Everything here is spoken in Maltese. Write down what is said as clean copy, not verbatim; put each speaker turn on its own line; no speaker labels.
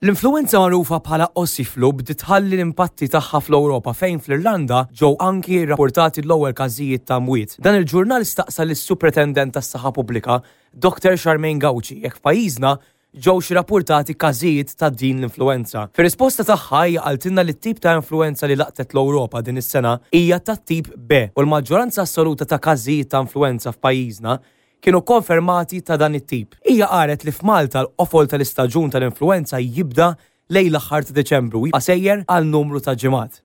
L-influwenza magħrufa bħala Aussie Flu bdiet tħalli l-impatti tagħha fl-Ewropa fejn fl-Irlanda ġew anki rrappurtati l-ewwel każijiet ta' mwiet. Dan il-ġurnal staqsa lis-Supretendent tas-Saħħa Pubblika, Dr Charmaine Gauci jekk f'pajjiżna ġewx irrappurtati każijiet ta' din l-influwenza. Fir-risposta tagħha hija qaltilna li t-tip ta' influwenza li laqtet l-Ewropa din is-sena hija tat-tip B u l-maġġoranza assoluta ta' każijiet ta' influwenza f'pajjiżna kienu kkonfermati ta' dan it-tip. Hija qalet li f'Malta l-qofol tal-istaġun tal-influwenza jibda lejn l-aħħar ta' Diċembru u jibqa' sejjer għal numru ta' ġimgħat.